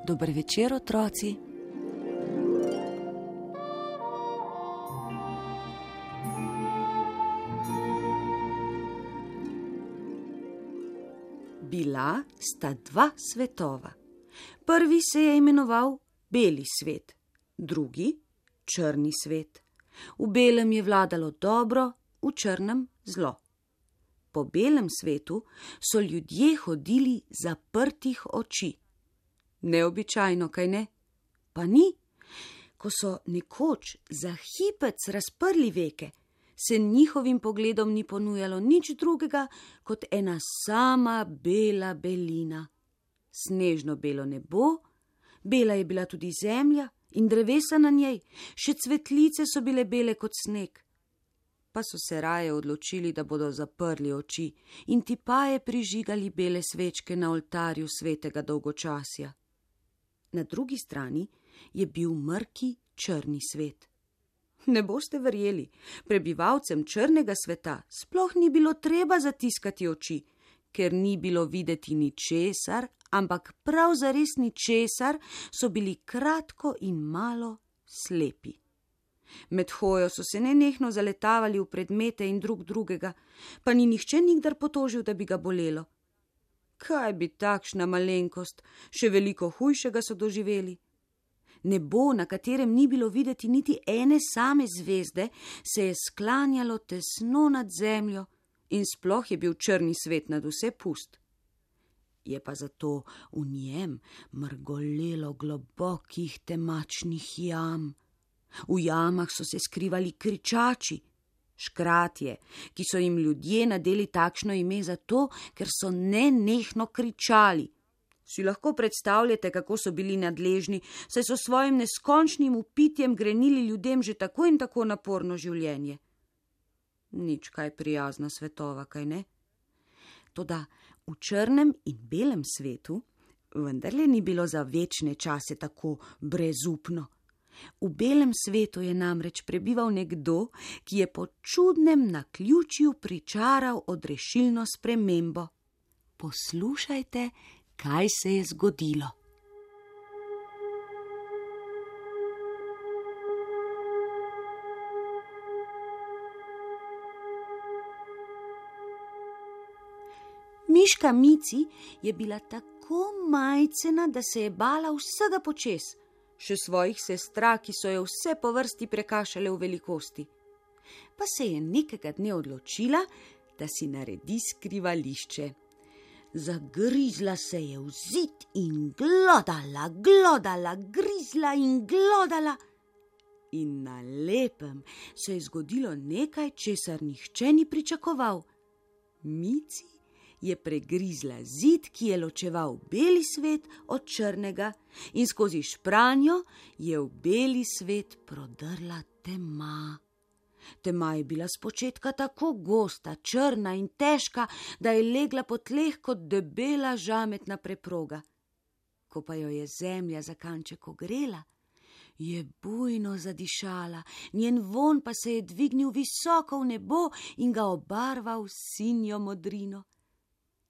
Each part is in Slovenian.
Dober večer, otroci. Bila sta dva svetova. Prvi se je imenoval beli svet, drugi črni svet. V belem je vladalo dobro, v črnem zlo. Po belem svetu so ljudje hodili zaprtih oči. Neobičajno, kaj ne? Pa ni. Ko so nekoč za hipec razprli veke, se njihovim pogledom ni ponujalo nič drugega kot ena sama bela belina. Snežno belo nebo, bela je bila tudi zemlja in drevesa na njej, še cvetlice so bile bele kot sneg. Pa so se raje odločili, da bodo zaprli oči in tipaje prižigali bele svečke na oltarju svetega dolgočasja. Na drugi strani je bil mrki črni svet. Ne boste verjeli, prebivalcem črnega sveta sploh ni bilo treba zatiskati oči, ker ni bilo videti ničesar, ampak prav zares ničesar, so bili kratko in malo slepi. Med hojo so se nenehno zaletavali v predmete in drug drugega, pa ni nihče nikdar potožil, da bi ga bolelo. Kaj bi takšna malenkost, še veliko hujšega so doživeli. Nebo, na katerem ni bilo videti niti ene same zvezde, se je sklanjalo tesno nad zemljo in sploh je bil črni svet nad vse pust. Je pa zato v njem mrgolelo globokih temačnih jam. V jamah so se skrivali kričači, škratje, ki so jim ljudje nadeli takšno ime zato, ker so nenehno kričali. Si lahko predstavljate, kako so bili nadležni, saj so svojim neskončnim vpitjem grenili ljudem že tako in tako naporno življenje. Nič kaj prijazna svetova, kaj ne? Toda v črnem in belem svetu vendarle ni bilo za večne čase tako brezupno. V belem svetu je namreč prebival nekdo, ki je po čudnem naključju pričaral odrešilno spremembo. Poslušajte, kaj se je zgodilo. Miška Mici je bila tako majcena, da se je bala vsega počez, še svojih sestra, ki so jo vse po vrsti prekašale v velikosti. Pa se je nekega dne odločila, da si naredi skrivališče. Zagrizla se je v zid in glodala, grizla in glodala. In na lepem se je zgodilo nekaj, česar nihče ni pričakoval. Mici je pregrizla zid, ki je ločeval beli svet od črnega, in skozi špranjo je v beli svet prodrla tema. Tema je bila spočetka tako gosta, črna in težka, da je legla po tleh kot debela žametna preproga. Ko pa jo je zemlja za kanček ogrela, je bujno zadišala, njen vonj pa se je dvignil visoko v nebo in ga obarval sinjo modrino.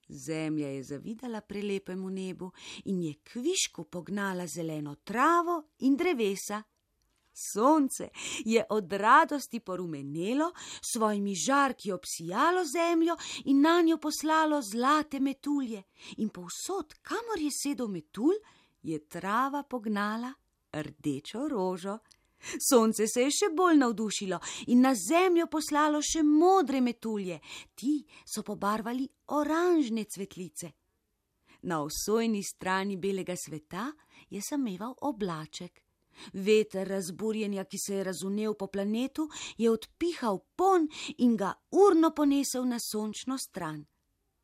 Zemlja je zavidala prelepemu nebu in je kvišku pognala zeleno travo in drevesa. Sonce je od radosti porumenelo, svojimi žarki obsijalo zemljo in nanjo poslalo zlate metulje. In povsod, kamor je sedel metulj, je trava pognala rdečo rožo. Sonce se je še bolj navdušilo in na zemljo poslalo še modre metulje. Ti so pobarvali oranžne cvetlice. Na osojni strani belega sveta je sameval oblaček. Veter razburjenja, ki se je razvnel po planetu, je odpihal ponj in ga urno ponesel na sončno stran.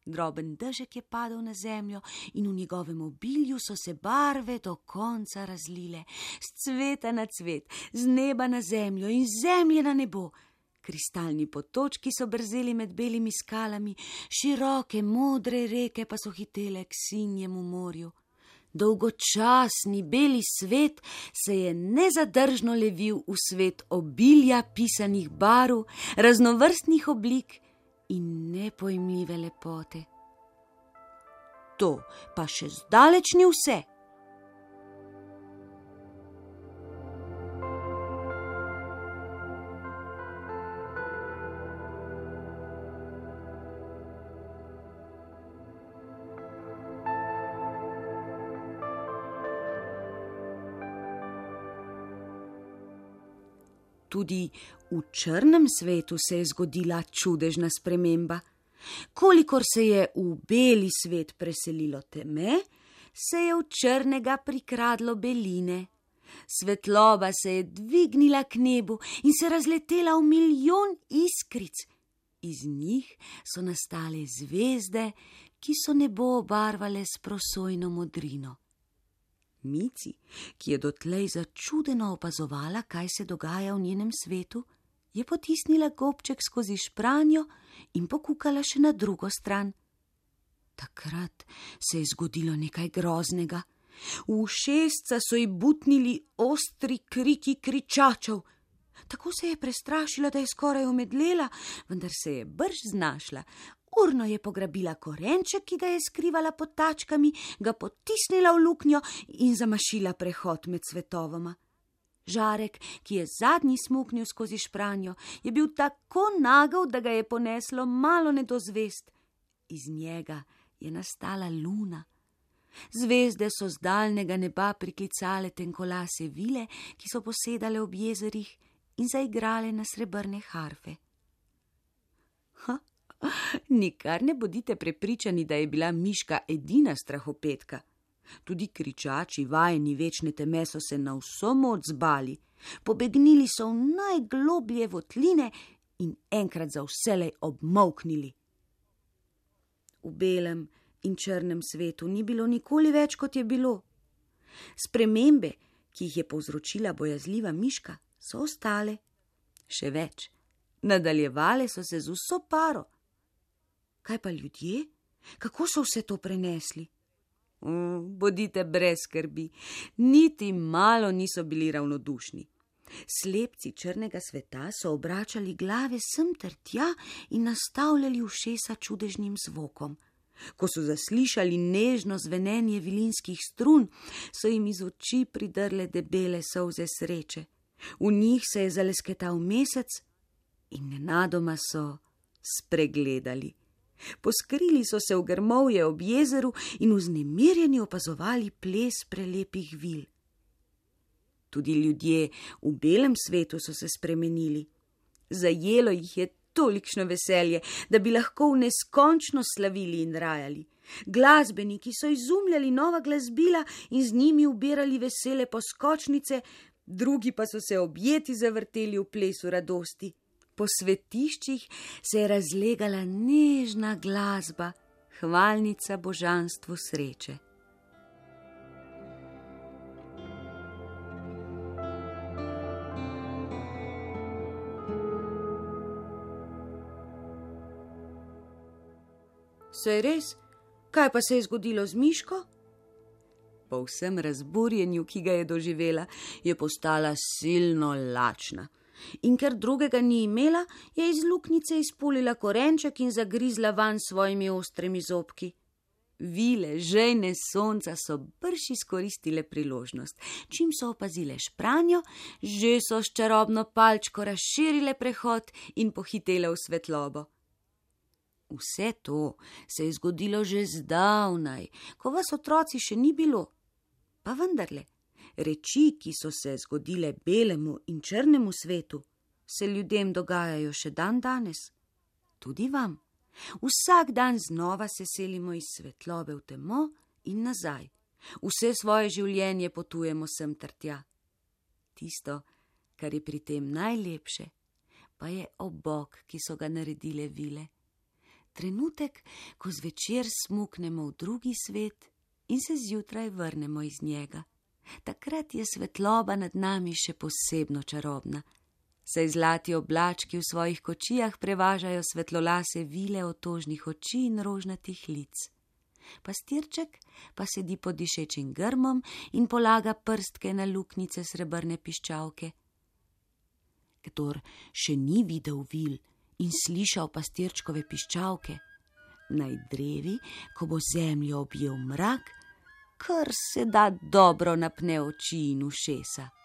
Droben dežek je padel na zemljo in v njegovem obilju so se barve do konca razlile, s cveta na cvet, z neba na zemljo in zemlje na nebo. Kristalni potočki so brzeli med belimi skalami, široke modre reke pa so hitele k sinjemu morju. Dolgočasni beli svet se je nezadržno levil v svet obilja pisanih barv, raznovrstnih oblik in nepojmljive lepote. To pa še zdaleč ni vse. Tudi v črnem svetu se je zgodila čudežna sprememba. Kolikor se je v beli svet preselilo teme, se je v črnega prikradlo beline. Svetloba se je dvignila k nebu in se razletela v milijon iskric. Iz njih so nastale zvezde, ki so nebo obarvale s prosojno modrino. Mici, ki je dotlej začudeno opazovala, kaj se dogaja v njenem svetu, je potisnila gobček skozi špranjo in pokukala še na drugo stran. Takrat se je zgodilo nekaj groznega. V ušesca so ji butnili ostri kriki kričačev. Tako se je prestrašila, da je skoraj omedlela, vendar se je brž znašla. Urno je pograbila korenček, ki ga je skrivala pod tačkami, ga potisnila v luknjo in zamašila prehod med svetovoma. Žarek, ki je zadnji smuknil skozi špranjo, je bil tako nagel, da ga je poneslo malo nedozvest. Iz njega je nastala luna. Zvezde so z daljnega neba priklicale tenkolase vile, ki so posedale ob jezerih in zaigrale na srebrne harfe. Nikar ne bodite prepričani, da je bila miška edina strahopetka. Tudi kričači, vajeni večne teme, so se na vso moč zbali. Pobegnili so v najgloblje votline in enkrat za vselej obmolknili. V belem in črnem svetu ni bilo nikoli več, kot je bilo. Spremembe, ki jih je povzročila bojazljiva miška, so ostale. Še več, nadaljevale so se z vso paro. Kaj pa ljudje? Kako so vse to prenesli? Bodite brez skrbi, niti malo niso bili ravnodušni. Slepci črnega sveta so obračali glave sem ter tja in nastavljali ušesa čudežnim zvokom. Ko so zaslišali nežno zvenenje vilinskih strun, so jim iz oči pridrle debele solze sreče. V njih se je zalesketal mesec in nenadoma so spregledali. Poskrili so se v grmovje ob jezeru in vznemirjeni opazovali ples prelepih vil. Tudi ljudje v belem svetu so se spremenili. Zajelo jih je tolikšno veselje, da bi lahko v neskončno slavili in rajali. Glasbeniki so izumljali nova glasbila in z njimi ubirali vesele poskočnice, drugi pa so se objeti zavrteli v plesu radosti. Po svetiščih se je razlegala nežna glasba, hvalnica božanstvu sreče. Saj res, kaj pa se je zgodilo z miško? Po vsem razburjenju, ki ga je doživela, je postala silno lačna. In ker drugega ni imela, je iz luknjice izpulila korenček in zagrizla vanj svojimi ostrimi zobki. Vile, žejne sonca so brž izkoristile priložnost. Čim so opazile špranjo, že so s čarobno palčko razširile prehod in pohitele v svetlobo. Vse to se je zgodilo že zdavnaj, ko vas otroci še ni bilo. Pa vendarle, reči, ki so se zgodile belemu in črnemu svetu, se ljudem dogajajo še dan danes. Tudi vam. Vsak dan znova se selimo iz svetlobe v temo in nazaj. Vse svoje življenje potujemo sem ter tja. Tisto, kar je pri tem najlepše, pa je obok, ki so ga naredile vile. Trenutek, ko zvečer smuknemo v drugi svet in se zjutraj vrnemo iz njega. Takrat je svetloba nad nami še posebno čarobna. Saj zlati oblački v svojih kočijah prevažajo svetlolase vile otožnih oči in rožnatih lic. Pastirček pa sedi pod dišečim grmom in polaga prstke na luknjice srebrne piščalke. Kdor še ni videl vil in slišal pastirčkove piščalke, naj drevi, ko bo zemljo objel mrak, kar se da dobro napne oči in ušesa.